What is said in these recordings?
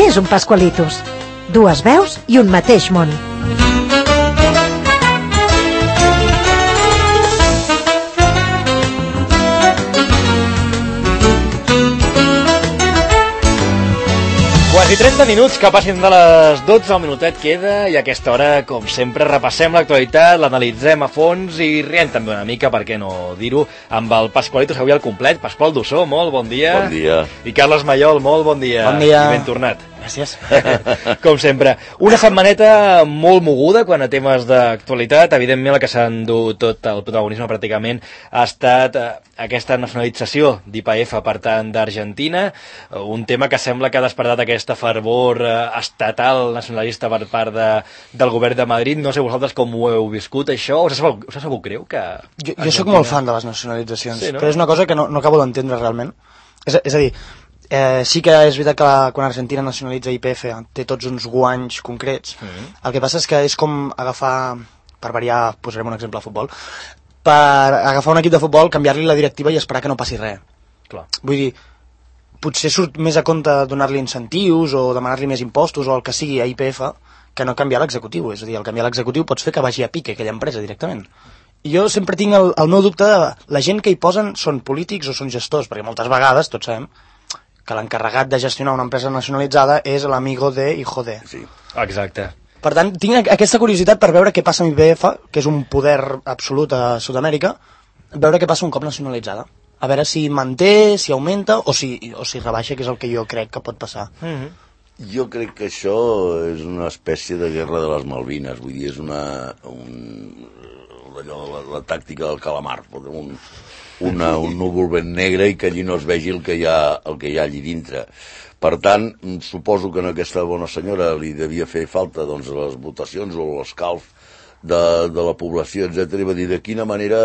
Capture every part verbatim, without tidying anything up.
Què és un Pascualitos? Dues veus i un mateix món. Quasi trenta minuts que passin de les dotze, el minutet queda, i a aquesta hora, com sempre, repassem l'actualitat, l'analitzem a fons i riem també una mica, per què no dir-ho, amb el Pascualitos avui al complet. Pasqual Dussó, molt bon dia. Bon dia. I Carles Mallol, molt bon dia. Bon dia. I ben tornat. Gràcies. Com sempre. Una setmaneta molt moguda quan a temes d'actualitat. Evidentment, el que s'ha endut tot el protagonisme pràcticament ha estat eh, aquesta nacionalització d'I P F per tant d'Argentina, un tema que sembla que ha despertat aquesta fervor eh, estatal nacionalista per part de, del govern de Madrid. No sé vosaltres com ho heu viscut, això. Us ha sabut, us ha sabut greu que... Jo, jo sóc molt fan de les nacionalitzacions, sí, no? Però és una cosa que no, no acabo d'entendre realment. És, és a dir, eh, sí que és veritat que la, quan Argentina nacionalitza I P F té tots uns guanys concrets. Mm-hmm. El que passa és que és com agafar, per variar, posarem un exemple de futbol, per agafar un equip de futbol, canviar-li la directiva i esperar que no passi res. Clar. Vull dir, potser surt més a compte donar-li incentius o demanar-li més impostos o el que sigui a I P F que no canviar l'executiu. És a dir, al canviar l'executiu pots fer que vagi a pique aquella empresa directament. I jo sempre tinc el, el meu dubte de la gent que hi posen són polítics o són gestors, perquè moltes vegades, tots sabem, que l'encarregat de gestionar una empresa nacionalitzada és l'amigo de hijo de. Sí. Exacte. Per tant, tinc aquesta curiositat per veure què passa amb I P F, que és un poder absolut a Sud-amèrica, veure què passa un cop nacionalitzada. A veure si manté, si augmenta o si, o si rebaixa, que és el que jo crec que pot passar. Mm-hmm. Jo crec que això és una espècie de guerra de les Malvines, vull dir, és una... Un, allò, la, la tàctica del calamar, un, una, un núvol ben negre i que allí no es vegi el que hi ha, el que hi ha allí dintre. Per tant, suposo que a aquesta bona senyora li devia fer falta doncs, les votacions o l'escalf de, de la població, etcètera, i va dir de quina manera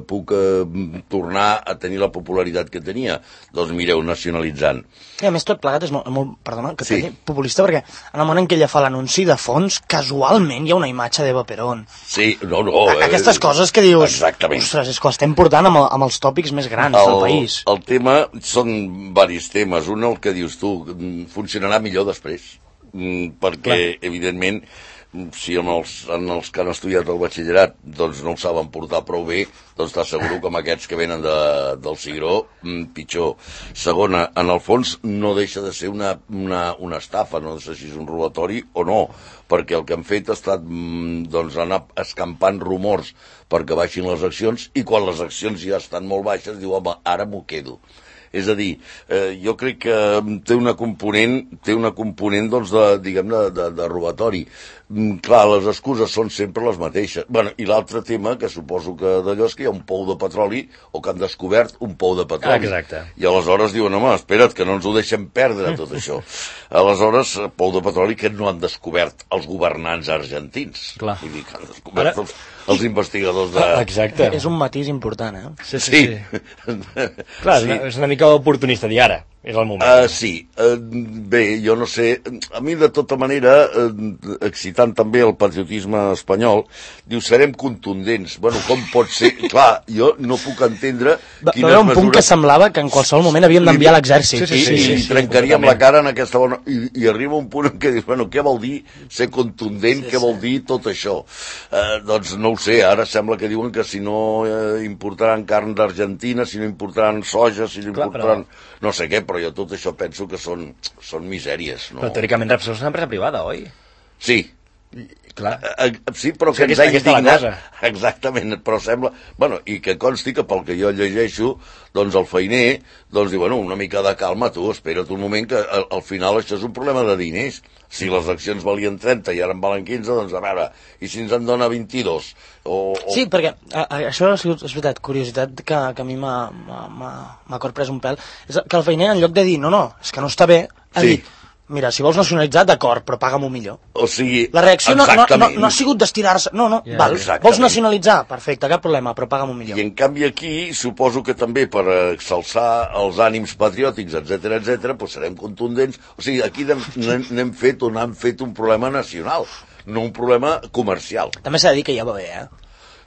puc eh, tornar a tenir la popularitat que tenia. Doncs mireu, nacionalitzant. I a més tot plegat és molt, molt perdona, que sí. populista, perquè en el moment en què ella fa l'anunci de fons, casualment hi ha una imatge d'Eva Perón. Sí, no, no. A, aquestes eh, coses que dius, exactament. Ostres, és que ho estem portant amb, amb els tòpics més grans el, del país. El tema, són varis temes. Un, el que dius tu, funcionarà millor després, perquè, clar, evidentment, si en els, en els que han estudiat el batxillerat doncs no ho saben portar prou bé, doncs t'asseguro que amb aquests que venen de, del Cigró, pitjor. Segona, en el fons no deixa de ser una, una, una estafa, no sé si és un robatori o no, perquè el que han fet ha estat doncs, anar escampant rumors perquè baixin les accions, i quan les accions ja estan molt baixes diu, home, ara m'ho quedo. És a dir, eh, jo crec que té una component, té una component doncs, de, diguem, de, de, de robatori. Mm, clar, les excuses són sempre les mateixes. Bueno, i l'altre tema, que suposo que d'allò és que hi ha un pou de petroli, o que han descobert un pou de petroli. Exacte. I aleshores diuen, home, espera't, que no ens ho deixem perdre, tot això. Aleshores, pou de petroli que no han descobert els governants argentins. Clar. Vull dir que han descobert Ara... els, els investigadors de... Exacte. És un matís important, eh? Sí, sí, sí. sí. Clar, sí. És una mica oportunista dir ara, és el moment. Uh, sí, uh, bé, jo no sé, a mi de tota manera, uh, excitant també el patriotisme espanyol, diu, serem contundents. Bueno, com pot ser? Clar, jo no puc entendre Va, quines era un mesures... punt que semblava que en qualsevol moment havíem d'enviar l'exèrcit. Sí, sí, sí, sí, sí, sí, i trencaríem la cara en aquesta bona... I, i arriba un punt en què dius, bueno, què vol dir ser contundent, sí, què vol dir tot això? Uh, doncs no ho sé, ara sembla que diuen que si no eh, importaran carn d'Argentina, si no importaran soja, si no importaran... Clar, però... no sé què, però jo tot això penso que són, són misèries. No? Però teòricament Repsol és una empresa privada, oi? Sí. Clar. Uh, sí, però que, que ens ha indignat. Exactament, però sembla... Bueno, i que consti que pel que jo llegeixo, doncs el feiner, doncs diu, bueno, una mica de calma, tu, espera't un moment, que al, al final això és un problema de diners. Si les accions valien trenta i ara en valen quinze, doncs a veure, i si ens en dona vint-i-dos? O, o... Sí, perquè a, a, això ha sigut, és veritat, curiositat que, que a mi m'ha corprès un pèl, és que el feiner, en lloc de dir, no, no, és que no està bé, ha sí. dit, mira, si vols nacionalitzar, d'acord, però paga-m'ho millor. O sigui, la reacció no, no, no, no ha sigut d'estirar-se, no, no, yeah, val, vols nacionalitzar, perfecte, cap problema, però paga-m'ho millor. I en canvi aquí, suposo que també per exalçar els ànims patriòtics, etcètera, etcètera, doncs serem contundents. O sigui, aquí n'hem fet o n'han fet un problema nacional, no un problema comercial. També s'ha de dir que ja va bé, eh?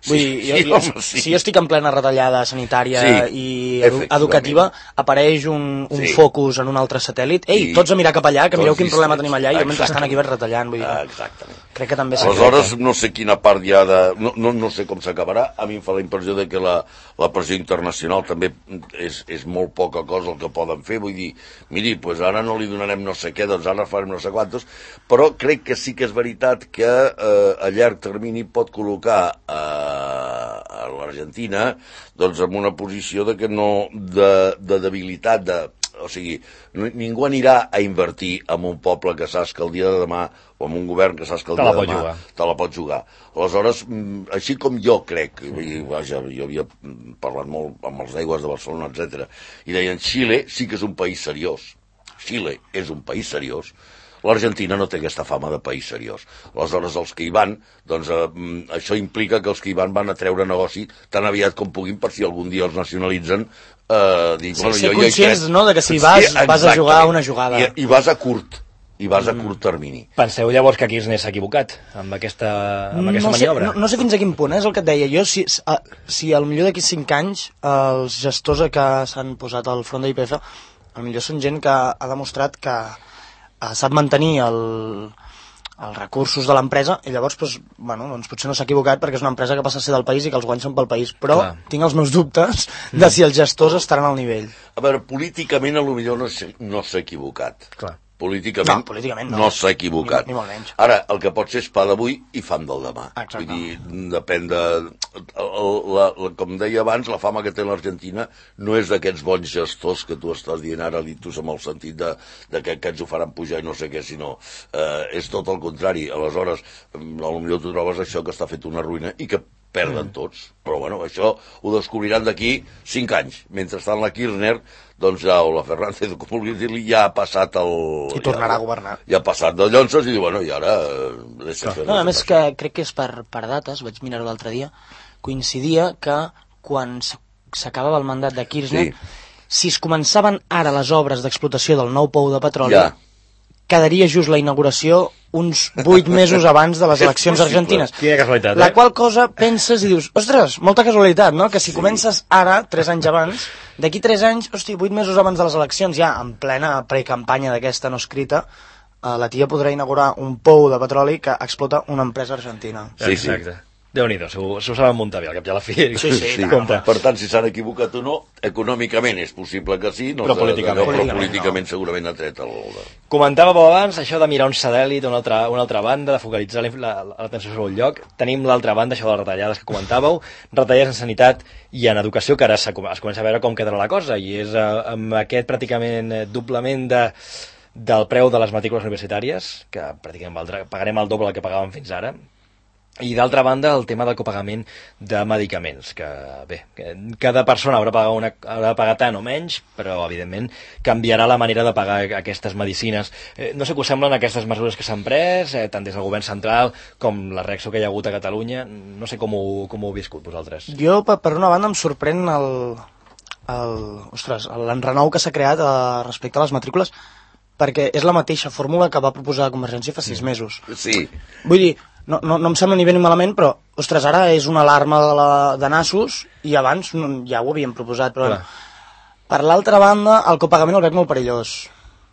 Vull dir, jo, sí, jo, home, sí. si jo estic en plena retallada sanitària Sí, i edu educativa, apareix un, un Sí. focus en un altre satèl·lit, ei, I tots a mirar cap allà, que mireu tots quin problema distrets. tenim allà, i jo mentrestant Exactament. aquí vaig retallant, vull dir, Ah, exactament. crec que també Aleshores, no sé quina part hi ha de... No, no, no sé com s'acabarà. A mi em fa la impressió de que la, la pressió internacional també és, és molt poca cosa el que poden fer. Vull dir, miri, pues ara no li donarem no sé què, doncs ara farem no sé quantos, però crec que sí que és veritat que eh, a llarg termini pot col·locar eh, a l'Argentina doncs en una posició de que no de, de debilitat, de, o sigui, no, ningú anirà a invertir en un poble que saps que el dia de demà, o en un govern que saps que el Te dia la de pot demà jugar. te la pot jugar. Aleshores, mm, així com jo crec, i, vaja, jo havia parlat molt amb els d'aigües de Barcelona, etcètera, i deien, Xile sí que és un país seriós. Xile és un país seriós. L'Argentina no té aquesta fama de país seriós. Aleshores, els que hi van, doncs eh, això implica que els que hi van van a treure negoci tan aviat com puguin per si algun dia els nacionalitzen. Eh, dic, Sí, bueno, ser jo, jo conscients, crec... no?, de que si vas, Sí, vas a jugar exactament. una jugada. I, i vas a curt, i vas a curt termini. Penseu llavors que Kirchner s'ha equivocat amb aquesta, amb aquesta no sé, maniobra? no, no sé fins a quin punt, eh, és el que et deia. Jo, si, a, si al millor d'aquí cinc anys els gestors que s'han posat al front de I P F, al millor són gent que ha demostrat que eh, sap mantenir el, els recursos de l'empresa i llavors doncs, bueno, doncs potser no s'ha equivocat perquè és una empresa que passa a ser del país i que els guanys són pel país, però Clar. tinc els meus dubtes de si els gestors estaran al nivell. A veure, políticament a lo millor no s'ha no s'ha equivocat. Clar. Políticament, No, políticament no. no s'ha equivocat. Ni- ni molt menys. Ara, el que pot ser és pa d'avui i fam del demà. Exacte. Vull dir, depèn de... El, la, la, com deia abans, la fama que té l'Argentina no és d'aquests bons gestors que tu estàs dient ara, Litus, amb el sentit de, de que aquests ho faran pujar i no sé què, sinó eh, és tot el contrari. Aleshores, potser tu trobes això que està fet una ruïna i que perden tots. Però bueno, això ho descobriran d'aquí cinc anys. Mentrestant la Kirchner, doncs ja, o la Fernández, com vulguis dir-li, ja ha passat el... I tornarà ja, a governar. Ja ha passat de llonses i diu, bueno, i ara... Eh, deixa fer No, a les més coses. que crec que és per, per dates, vaig mirar-ho l'altre dia, coincidia que quan s- s'acabava el mandat de Kirchner, Sí. si es començaven ara les obres d'explotació del nou pou de petroli, Ja. quedaria just la inauguració uns vuit mesos abans de les És eleccions possible. argentines. Quina casualitat, La eh? qual cosa penses i dius, ostres, molta casualitat, no? Que si sí. comences ara, tres anys abans, d'aquí tres anys, hosti, vuit mesos abans de les eleccions, ja en plena precampanya d'aquesta no escrita, eh, la tia podrà inaugurar un pou de petroli que explota una empresa argentina. Sí, sí. Exacte. Déu-n'hi-do, s'ho s'ho saben muntar bé, al cap i a la fi. Sí, sí, Sí, compte. per tant, si s'han equivocat o no, econòmicament és possible que sí, no Però sé, políticament. allò, però Políticament políticament segurament ha tret el... Comentàveu abans això de mirar un satèl·lit a una altra, una altra banda, de focalitzar l'atenció sobre un lloc. Tenim l'altra banda, això de les retallades que comentàveu, retallades en sanitat i en educació, que ara es comença a veure com quedarà la cosa, i és eh, amb aquest pràcticament eh, doblament de, del preu de les matrícules universitàries, que pràcticament valdrà, pagarem el doble que pagàvem fins ara. I d'altra banda, el tema del copagament de medicaments, que bé, que cada persona haurà de pagar, una, haurà de pagar tant o menys, però evidentment canviarà la manera de pagar aquestes medicines. Eh, no sé què us semblen aquestes mesures que s'han pres, eh, tant des del govern central com la reacció que hi ha hagut a Catalunya. No sé com ho, com ho heu viscut vosaltres. Jo, per, per una banda, em sorprèn el, el, ostres, l'enrenou que s'ha creat eh, respecte a les matrícules, perquè és la mateixa fórmula que va proposar Convergència fa sis mesos. Sí, Vull dir, no, no, no em sembla ni bé ni malament, però, ostres, ara és una alarma de, la, de nassos, i abans no, ja ho havíem proposat, però... Clar. Per l'altra banda, el copagament el veig molt perillós.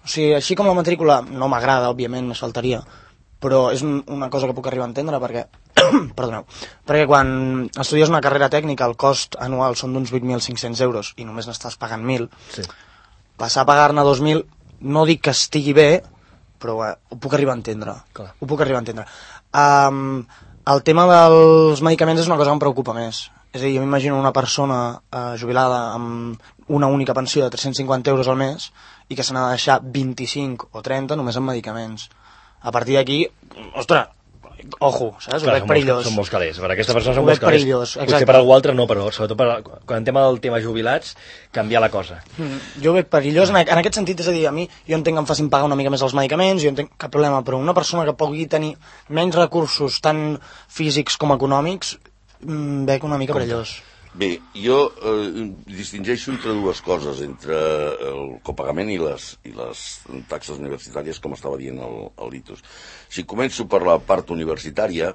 O sigui, així com la matrícula no m'agrada, òbviament, més faltaria, però és un, una cosa que puc arribar a entendre, perquè... Perdoneu. Perquè quan estudies una carrera tècnica, el cost anual són d'uns vuit mil cinc-cents euros, i només n'estàs pagant mil, Sí. passar a pagar-ne dos mil, no dic que estigui bé, però eh, ho puc arribar a entendre. Clar. Ho puc arribar a entendre. Um, el tema dels medicaments és una cosa que em preocupa més. És a dir, jo m'imagino una persona uh, jubilada amb una única pensió de tres-cents cinquanta euros al mes i que se n'ha de deixar vint-i-cinc o trenta només en medicaments. A partir d'aquí, ostres, ojo, saps? Ho Clar, veig són perillós. Molts, són molts calés. Per aquesta persona són Ho veig molts calés. perillós, Potser exacte. per algú altre no, però sobretot per, quan tema del tema jubilats, canviar la cosa. Mm, jo ho veig perillós en, en aquest sentit, és a dir, a mi jo entenc que em facin pagar una mica més els medicaments, jo entenc cap problema, però una persona que pugui tenir menys recursos tant físics com econòmics, mm, veig una mica perillós. bé, jo eh, distingeixo entre dues coses, entre el copagament i les, i les taxes universitàries, com estava dient el, el Litus. Si començo per la part universitària,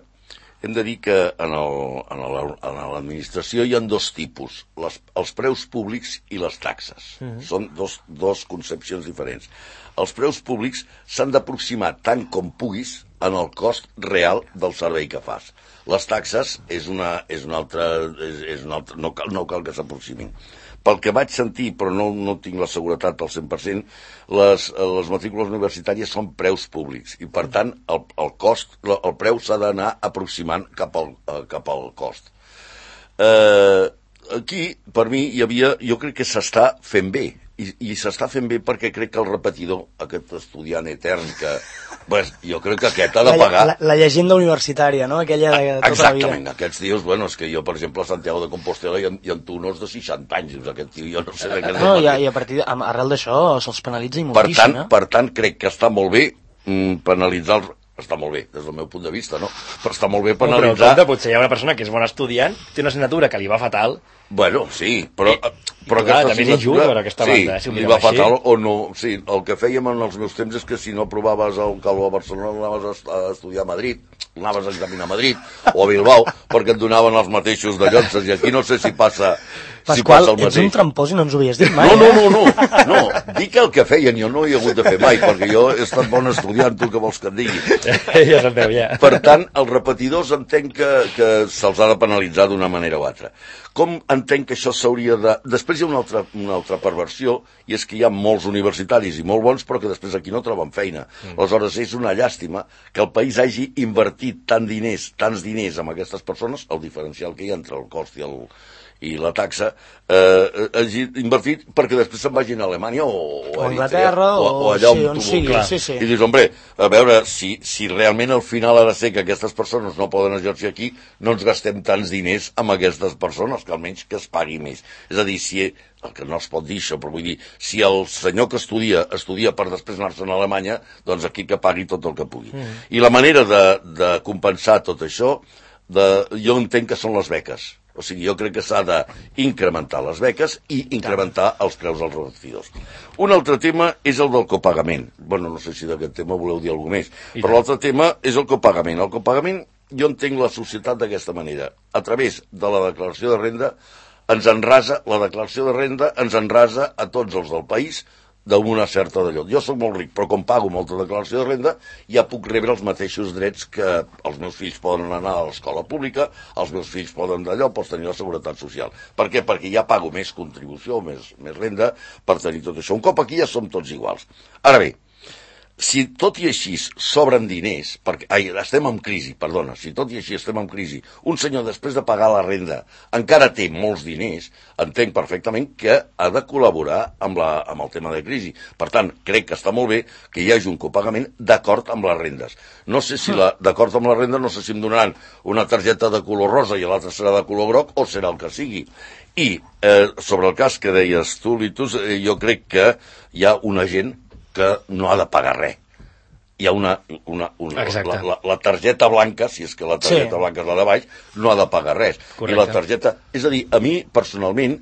hem de dir que en l'administració hi ha dos tipus, les, els preus públics i les taxes. Mm-hmm. Són dos, dos concepcions diferents. Els preus públics s'han d'aproximar tant com puguis en el cost real del servei que fas. Les taxes és una, és una altra, és, és una altra no, cal, no cal que s'aproximin. Pel que vaig sentir, però no, no tinc la seguretat al cent per cent, les, les matrícules universitàries són preus públics i, per tant, el, el cost, el preu s'ha d'anar aproximant cap al, cap al cost. Eh, aquí, per mi, hi havia, jo crec que s'està fent bé, i, i s'està fent bé perquè crec que el repetidor, aquest estudiant etern que, pues, jo crec que aquest ha de pagar... La, la, la llegenda universitària, no? Aquella de, de tota exactament, la vida. Aquests tios, bueno, és que jo, per exemple, a Santiago de Compostela hi ha, hi ha tunors de seixanta anys, dius, aquest tio, jo no sé de què... No, i a, i a partir de, arrel d'això se'ls penalitza i per moltíssim, tant, eh? per tant, crec que està molt bé mm, penalitzar els... Està molt bé, des del meu punt de vista, no? Però està molt bé penalitzar... No, però compte, potser hi ha una persona que és bona estudiant, té una assignatura que li va fatal... Bueno, sí, però... I, però clar, també és injust per aquesta sí, banda, eh, si ho li mirem va fatal així. o no... Sí, el que fèiem en els meus temps és que si no aprovaves el Calvo a Barcelona anaves a estudiar a Madrid, anaves a examinar a Madrid o a Bilbao, perquè et donaven els mateixos de llocs, i aquí no sé si passa... Pasqual, si passa el ets un trampós i no ens ho havies dit mai. No, no, no, no, no, dic el que feien, jo no hi he hagut de fer mai, perquè jo he estat bon estudiant, tu que vols que et digui. Ja se'n veu, ja. Per tant, els repetidors entenc que, que se'ls ha de penalitzar d'una manera o altra. Com entenc que això s'hauria de... Després hi ha una altra, una altra perversió, i és que hi ha molts universitaris i molt bons, però que després aquí no troben feina. Mm. Aleshores, és una llàstima que el país hagi invertit tant diners, tants diners amb aquestes persones, el diferencial que hi ha entre el cost i el... i la taxa, eh, hagi invertit perquè després se'n vagin a Alemanya o, o a Anglaterra o, o, o allà sí, on tu sigui, vulguis. sí, sí. I dius, hombre, a veure, si, si realment al final ha de ser que aquestes persones no poden exercir aquí, no ens gastem tants diners amb aquestes persones, que almenys que es pagui més. És a dir, si el que no es pot dir això, però vull dir, si el senyor que estudia, estudia per després anar-se'n a Alemanya, doncs aquí que pagui tot el que pugui. Mm. I la manera de, de compensar tot això, de, jo entenc que són les beques. O sigui, jo crec que s'ha d'incrementar les beques i incrementar els preus dels repetidors. Un altre tema és el del copagament. Bueno, no sé si d'aquest tema voleu dir alguna més, però l'altre tema és el copagament. El copagament, jo entenc la societat d'aquesta manera. A través de la declaració de renda, ens enrasa, la declaració de renda ens enrasa a tots els del país d'una certa d'allò. Jo soc molt ric, però com pago molta declaració de renda, ja puc rebre els mateixos drets que els meus fills poden anar a l'escola pública, els meus fills poden d'allò, pots tenir la seguretat social. Per què? Perquè ja pago més contribució, més, més renda per tenir tot això. Un cop aquí ja som tots iguals. Ara bé, si tot i així sobren diners, perquè, ai, estem en crisi, perdona, si tot i així estem en crisi, un senyor després de pagar la renda encara té molts diners, entenc perfectament que ha de col·laborar amb, la, amb el tema de crisi. Per tant, crec que està molt bé que hi hagi un copagament d'acord amb les rendes. No sé si la, d'acord amb les rendes, no sé si em donaran una targeta de color rosa i l'altra serà de color groc o serà el que sigui. I eh, sobre el cas que deies tu, Litus, eh, jo crec que hi ha una gent que no ha de pagar res. Hi ha una... una, una la, la, la targeta blanca, si és que la targeta sí. blanca és la de baix, no ha de pagar res. Correcte. I la targeta... És a dir, a mi, personalment,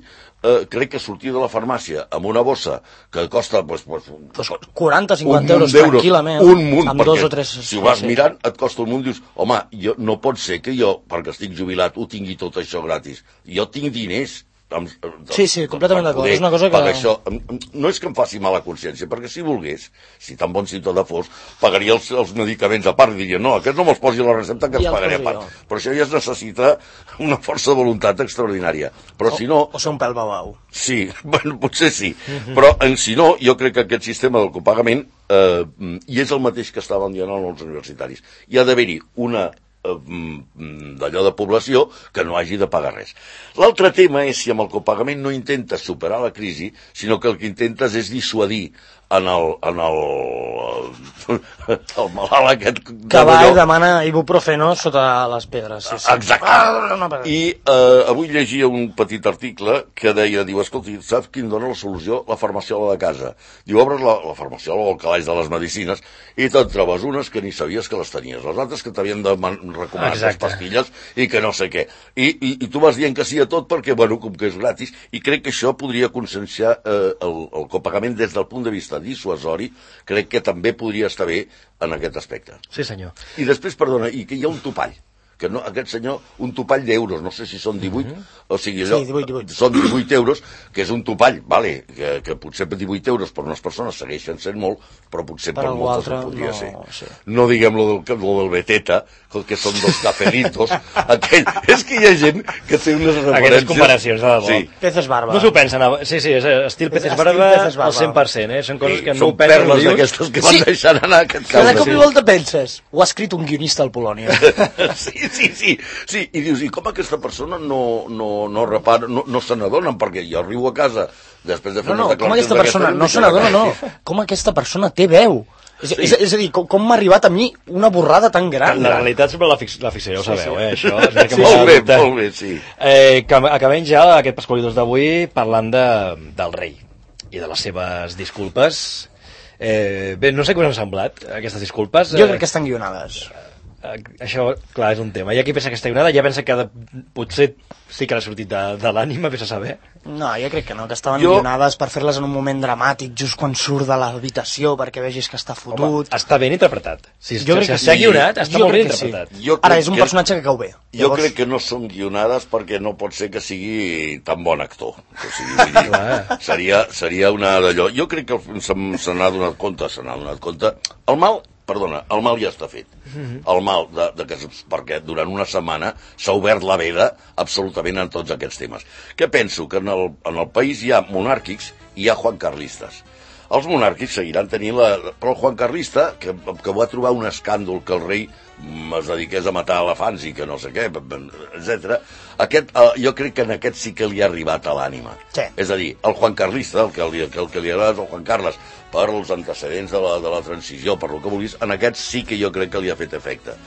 eh, crec que sortir de la farmàcia amb una bossa que costa... Pues, pues, pues quaranta o cinquanta euros tranquil·lament, un munt, amb dos perquè o tres... si ho vas sí. mirant, et costa un munt, dius, home, jo, no pot ser que jo, perquè estic jubilat, ho tingui tot això gratis. Jo tinc diners... Amb, sí, sí, completament d'acord. És una cosa que... Això, no és que em faci mala consciència, perquè si volgués, si tan bon ciutadà fos, pagaria els, els medicaments a part i diria, no, aquest no me'ls posi a la recepta que els pagaré a part. Jo. Però això ja es necessita una força de voluntat extraordinària. Però o, si no... O ser un pèl babau. Sí, bueno, potser sí. Uh-huh. Però en si no, jo crec que aquest sistema del copagament eh, i és el mateix que estaven dient els universitaris. Hi ha d'haver-hi una d'allò de població que no hagi de pagar res. L'altre tema és si amb el copagament no intentes superar la crisi, sinó que el que intentes és dissuadir en el, en el, el malalt aquest que va i demana ibuprofeno sota les pedres. Sí, sí. Exacte. Ah, no, I eh, avui llegia un petit article que deia, diu, escolti, saps quin dona la solució? La farmaciola de casa. Diu, obres la, la farmaciola o el calaix de les medicines i te'n trobes unes que ni sabies que les tenies, les altres que t'havien de recomanar les pastilles i que no sé què. I, i, i tu vas dient que sí a tot perquè, bueno, com que és gratis, i crec que això podria conscienciar eh, el, el copagament des del punt de vista dissuasori, crec que també podria estar bé en aquest aspecte. Sí, senyor. I després, perdona, i que hi ha un topall, que no, aquest senyor, un topall d'euros, no sé si són divuit, mm-hmm. o sigui, allò, sí, divuit, divuit. són divuit euros, que és un topall, vale, que, que potser per divuit euros per unes persones segueixen sent molt, però potser per, per moltes ho podria no, ser. Sí. No diguem lo del, lo del Beteta, que són dos cafelitos, aquell, és que hi ha gent que té unes referències... Aquestes comparacions, de debò. Sí. Peces barba. No s'ho pensen, sí, sí, és estil peces barba al cent per cent, eh? Són coses sí, que no ho pensen. Són perles d'aquestes que van sí. deixant anar a aquest Cada cop i volta penses, ho ha escrit un guionista al Polònia. sí, sí, sí, sí, i dius, i com aquesta persona no, no, no repara, no, no se n'adonen, perquè jo arribo a casa després de fer no, no, unes declaracions com aquesta persona, no se n'adona, no, com aquesta persona té veu. És, sí. és, és a dir, com, com m'ha arribat a mi una borrada tan gran? La realitat sempre la, fix, la ficció, ja ho sabeu, sí, sí. eh, això. És sí, molt bé, molt bé, sí. Eh, que acabem ja aquest Pasqualidors d'avui parlant de, del rei i de les seves disculpes. Eh, bé, no sé què us han semblat, aquestes disculpes. Jo crec que estan guionades. Eh, això, clar, és un tema. Hi ha qui pensa que està guionada, ja pensa que de, potser sí que l'ha sortit de, de l'ànima, vés a saber. No, jo crec que no, que estaven jo... guionades per fer-les en un moment dramàtic, just quan surt de l'habitació, perquè vegis que està fotut. Home, està ben interpretat. Si, jo crec si que s'ha sí. guionat, està jo molt ben sí. interpretat. Ara, és un que... personatge que cau bé. Jo Llavors... crec que no són guionades perquè no pot ser que sigui tan bon actor. O sigui, vull dir, seria, seria una d'allò. Jo crec que se, se n'ha donat compte, se n'ha donat compte. El mal... Perdona, el mal ja està fet. Mm-hmm. El mal, de, de que, perquè durant una setmana s'ha obert la veda absolutament en tots aquests temes. Què penso? Que en el, en el país hi ha monàrquics i hi ha juancarlistes. Els monàrquics seguiran tenint la... Però el juancarlista, que, que va trobar un escàndol que el rei es dediqués a matar elefants i que no sé què, etcètera. Aquest, eh, jo crec que en aquest sí que li ha arribat a l'ànima. Sí. És a dir, el juancarlista, el que li, el que li agrada és el Juan Carles, per els antecedents de la, de la transició, per lo que vulguis, en aquest sí que jo crec que li ha fet efecte.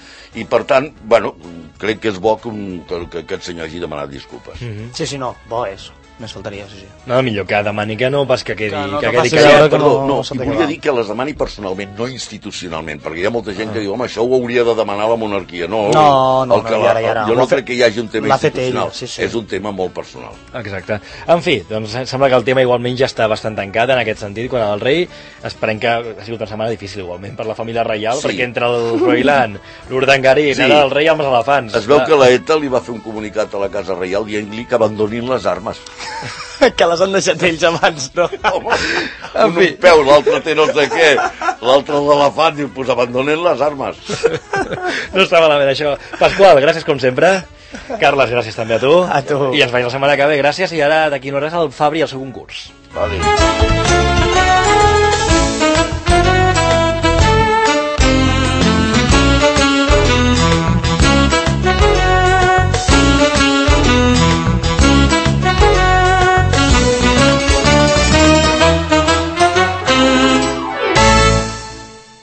I per tant, bueno, crec que és bo que, un, que, que aquest senyor hagi demanat disculpes. Mm-hmm. Sí, sí, no, bo és. Més faltaria, sí, sí. No, millor que demani que no, pas que quedi, que, no, que, que quedi callat. callat. Perdó, no, no i volia dir que les demani personalment, no institucionalment, perquè hi ha molta gent ah. que diu, home, això ho hauria de demanar la monarquia. No, no, no, el que no la, ara, ara. jo no crec que hi hagi un tema institucional, ella, sí, sí. és un tema molt personal. Exacte. En fi, doncs sembla que el tema igualment ja està bastant tancat en aquest sentit, quan el rei, esperem que ha sigut una setmana difícil igualment per la família reial, sí. perquè entre el Froilán, l'Urdangarín, sí. ara el rei amb els elefants. Es veu que la ETA li va fer un comunicat a la Casa Reial dient-li que abandonin les armes. Que les han deixat ells abans, no? Home, un, un peu, l'altre té no sé què, l'altre l'elefant, diu, pues abandonen les armes. No està malament, això. Pasqual, gràcies com sempre. Carles, gràcies també a tu. A tu. I ens veiem la setmana que ve, gràcies. I ara, d'aquí no res, el Fabri i el seu concurs. Vale.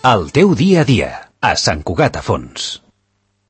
El teu dia a dia, a Sant Cugat a Fons.